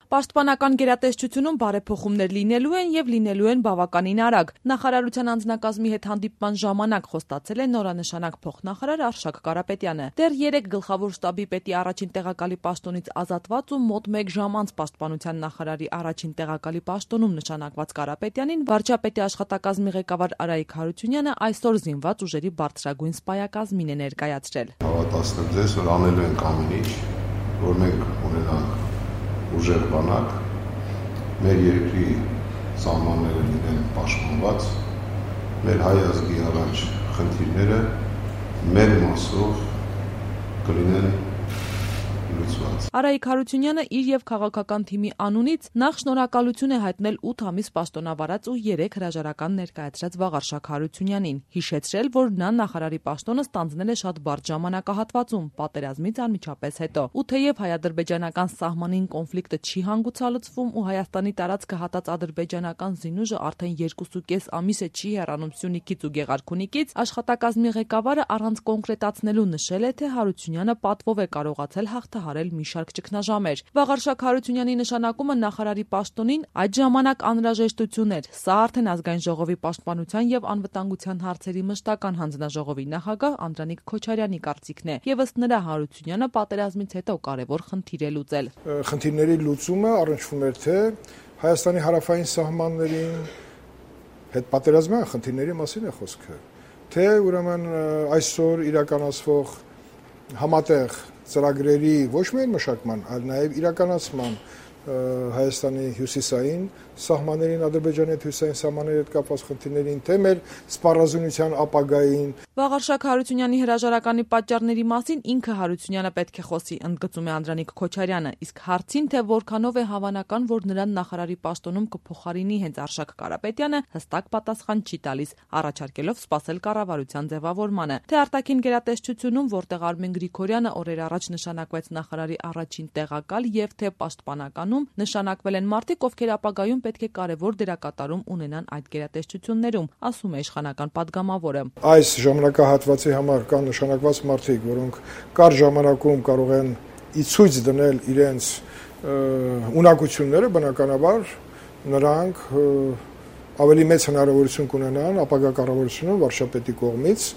Պաշտպանական գերատեսչությունում բարեփոխումներ լինելու են եւ լինելու են բավականին արագ։ Նախարարության անձնակազմի հետ հանդիպման ժամանակ խոստացել է նորանշանակ փոխնախարար Արշակ Կարապետյանը։ Դեռ 3 գլխավոր շտաբի պետի առաջին տեղակալի պաշտոնից ազատված ու մոտ 1 ժամ անց պաշտպանության նախարարի առաջին տեղակալի պաշտոնում նշանակված Կարապետյանին վարչապետի աշխատակազմի ղեկավար Արայիկ Հարությունյանը այսօր զինված ուժերի բարձրագույն սպայակազմին է ներկայացրել։ Հավատացնեմ ձեզ, որ անելու ենք ամեն ինչ, որ մենք ունենանք ուժեղ բանակ, մեր երկրի սահմանները լինեն պաշտպանված, մեր հայ ազգի առաջ խնդիրները մեր մասով կլինեն լուծված։ Արայիկ Հարությունյանը իր եւ քաղաքական թիմի անունից նախ շնորհակալություն է հայտնել 8 ամիս պաշտոնավարած ու 3 հրաժարական ներկայացրած Վաղարշակ Հարությունյանին, հիշեցրել, որ նա նախարարի պաշտոնը ստանձնել է շատ բարդ ժամանակահատվածում, պատերազմից անմիջապես հետո։ Ու թեև հայ-ադրբեջանական սահմանին կոնֆլիկտը չի հանգուցալուծվում ու Հայաստանի տարածքը հատած ադրբեջանական զինուժը արդեն 2.5 ամիս է չի հեռանում Սյունիքից ու Գեղարքունիքից, աշխատակազմի ղեկավարը առանց կոնկրետացնելու նշել է, թե Հարությունյանը պատվով է կարողացել հաղթահարել մի շարք ճգնաժամեր։ Վաղարշակ Հարությունյանի նշանակումը նախարարի պաշտոնին այդ ժամանակ անհրաժեշտություն էր։ Սա արդեն ազգային ժողովի պաշտպանության եւ անվտանգության հարցերի մշտական հանձնաժողովի նախագահ Անդրանիկ Քոչարյանի կարծիքն է։ Եվ ըստ նրա Հարությունյանը պատերազմից հետո կարևոր խնդիր է լուծել։ Խնդիրների լուծումը առնչվում էր թե Հայաստանի հարավային սահմաններին հետ պատերազմյան խնդիրների մասին է խոսքը, թե ուրեմն այսօր իրականացվող համատեղ ծրագրերի ոչ միայն մշակման, այլ նաև իրականացման Հայաստանի հյուսիսային սահմաններին, Ադրբեջանի հետ հյուսիսային սահմանների հետ կապված խնդիրներին, թե մեր սպառազինության ապագային։ Վաղարշակ Հարությունյանի հրաժարականի պատճառների մասին ինքը Հարությունյանը պետք է խոսի, ընդգծում է Անդրանիկ Քոչարյանը, իսկ հարցին, թե որքանով է հավանական, որ նրան նախարարի պաշտոնում կփոխարինի հենց Արշակ Կարապետյանը, հստակ պատասխան չի տալիս, առաջարկելով սպասել կառավարության ձևավորմանը։ Թե արտաքին գերատեսչությունում, որտեղ Արմեն Գրիգորյանը օրեր առաջ նշանակվեց նախարարի առաջին տեղակալ, եւ թե պաշտպանական նշանակվել են մարդիկ, ովքեր ապագայում պետք է կարևոր դերակատարում ունենան այդ գերատեսչություններում, ասում է իշխանական падգամավորը։ Այս ժամանակահատվածի համար կան նշանակված մարդիկ, որոնք կար ժամանակում կարող են ի ցույց դնել իրենց ունակությունները, բնականաբար նրանք ավելի մեծ հնարավորություն կունենան ապագա կառավարությունում վարչապետի կողմից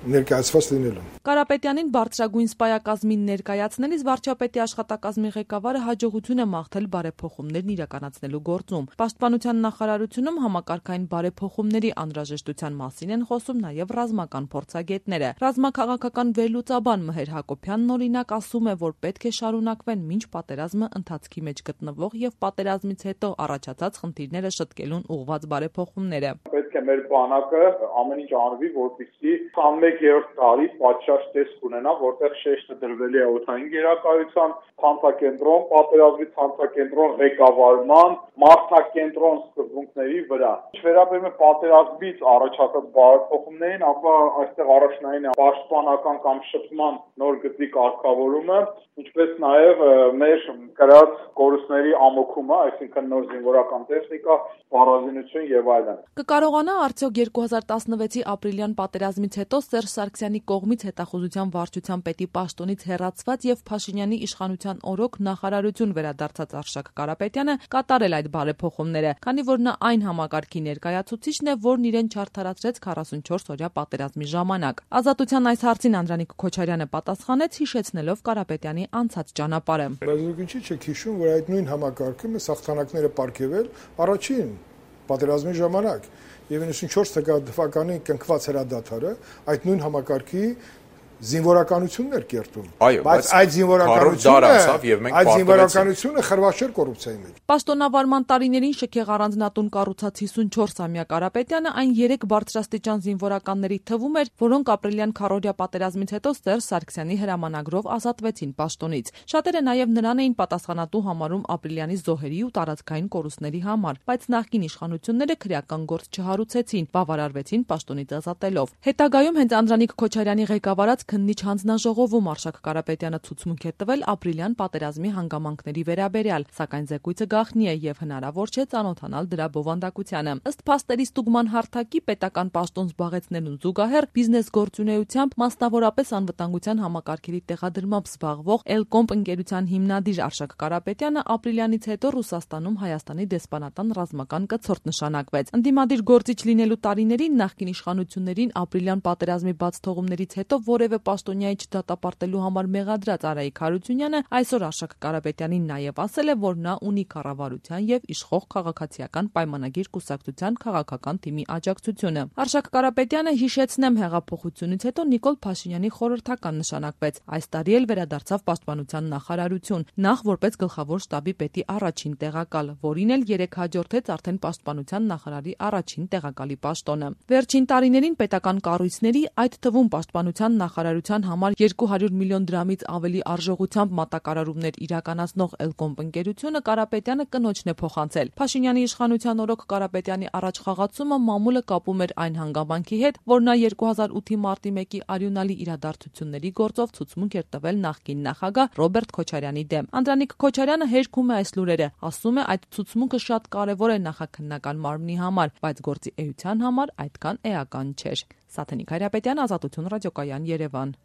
ներկայացված լինելու։ Կարապետյանին բարձրագույն սպայակազմին ներկայացնելիս վարչապետի աշխատակազմի ղեկավարը հաջողություն է մաղթել բարեփոխումներն իրականացնելու գործում։ Պաշտպանության նախարարությունում համակարգային բարեփոխումների անհրաժեշտության մասին են խոսում նաև ռազմական փորձագետները։ Ռազմաքաղաքական վերլուծաբան Մհեր Հակոբյանն օրինակ ասում է, որ պետք է շարունակվեն մինչ պատերազմը ընթացքի մեջ գտնվող եւ պատերազմից հետո առաջացած խնդիրները շտկելուն ուղղված բարեփոխումները։ Պետք է մեր բանակը ամեն ինչ անվի, որպեսզի 21-րդ տարի պատշաճ տեսք ունենա, որտեղ շեշտը դրվել է օդային գերակայության ցանցակենտրոն, պատերազմի ցանցակենտրոն ղեկավարման, մարդակենտրոն սկզբունքների վրա։ Ինչ վերաբերում է պատերազմից առաջացած բարեփոխումներին, ապա այստեղ առաջնային է պաշտպանական կամ շփման նոր գծի կարգավորումը, ինչպես նաև մեր կրած կորուստների ամոքումը, այսինքն նոր զինվորական տեխնիկա, սպառազինություն եւ այլն։ Կկարողանա արդյոք 2016-ի ապրիլյան պատերազմից հետո Սերժ Սարգսյանի կողմից հետախուզության վարչության պետի պաշտոնից հեռացված եւ Փաշինյանի իշխանության օրոք նախարարություն վերադարձած Արշակ Կարապետյանը կատարել այդ բարեփոխումները, քանի որ նա այն համակարգի ներկայացուցիչն է, որն իրեն չարդարացրեց 44-օրյա պատերազմի ժամանակ։ Ազատության այս հարցին Անդրանիկ Քոչարյանը պատասխանեց, հիշեցնելով Կարապետյանի անցած ճանապարհը։ Բայց ինչի՞ չեք հիշում, որ այդ նույն համակարգը մեզ հաղթանակները պարգևել առաջին պատերազմի ժամանակ եւ 94 թվականի կնքված հրադադարը այդ նույն համակարգի զինվորականությունն էր կերտում, բայց այդ զինվորականությունը խրված չէր կոռուպցիայի մեջ։ Պաշտոնավարման տարիներին շքեղ առանձնատուն կառուցած 54-ամյա Կարապետյանը այն 3 բարձրաստիճան զինվորականների թվում էր, որոնք ապրիլյան քառօրյա պատերազմից հետո Սերժ Սարգսյանի հրամանագրով ազատվեցին պաշտոնից։ Շատերը նաև նրան էին պատասխանատու համարում ապրիլյանի զոհերի ու տարածքային կորուստների համար, բայց նախկին իշխանությունները քրեական գործ չհարուցեցին, բավարարվեցին պաշտոնից ազատելով։ Հետագայում հենց Անդրանիկ Քոչարյանի ղեկավարած քննիչ հանձնաժողովում Արշակ Կարապետյանը ցուցմունք է տվել ապրիլյան պատերազմի հանգամանքների վերաբերյալ, սակայն զեկույցը գաղտնի է եւ հնարավոր չէ ծանոթանալ դրա բովանդակությանը։ Ըստ փաստերի ստուգման հարթակի պետական պաշտոն զբաղեցնելուն զուգահեռ բիզնես գործունեությամբ, մասնավորապես անվտանգության համակարգերի տեղադրմամբ զբաղվող Elcomp ընկերության հիմնադիր Արշակ Կարապետյանը ապրիլյանից հետո Ռուսաստանում Հայաստանի դեսպանատան ռազմական կցորդ նշանակվեց։ Ընդդիմադիր գործիչ լինելու տարիներին նախկին իշխանություններին ապրիլյան պատերազմի բաց թողումներից հետո որևէ պաշտոնյայի չդատապարտելու համար մեղադրած Արայիկ Հարությունյանը այսօր Արշակ Կարապետյանին նաև ասել է, որ նա ունի կառավարության եւ իշխող քաղաքացիական պայմանագիր կուսակցության քաղաքական թիմի աջակցությունը։ Արշակ Կարապետյանը, հիշեցնեմ, հեղափոխությունից հետո Նիկոլ Փաշինյանի խորհրդական նշանակվեց։ Այս տարի էլ վերադարձավ պաշտպանության նախարարություն, նախ որպես գլխավոր շտաբի պետի առաջին տեղակալ, որին էլ 3 հաջորդեց արդեն պաշտպանության նախարարի առաջին տեղակալի պաշտոնը։ Վերջին տարիներին պետական կառույցների, այդ թվում պաշտպանության նախարարության համար 200 միլիոն դրամից ավելի արժողությամբ մատակարարումներ իրականացնող Elcomp ընկերությունը Կարապետյանը կնոջն է փոխանցել։ Փաշինյանի իշխանության օրոք Կարապետյանի առաջ խաղացումը մամուլը կապում էր այն հանգամանքի հետ, որ նա 2008-ի մարտի 1-ի արյունալի իրադարձությունների գործով ցուցմունք էր տվել նախկին նախագահ Ռոբերտ Քոչարյանի դեմ։ Անդրանիկ Քոչարյանը հերքում է այս լուրերը, ասում է այդ ցուցմունքը շատ կարևոր է նախաքննական մարմնի համար, բայց գործի էության համար այդքան էական չէր։ Սաթենիկ Հայրապետյան, Ազատություն ռադիոկայան, Երևան։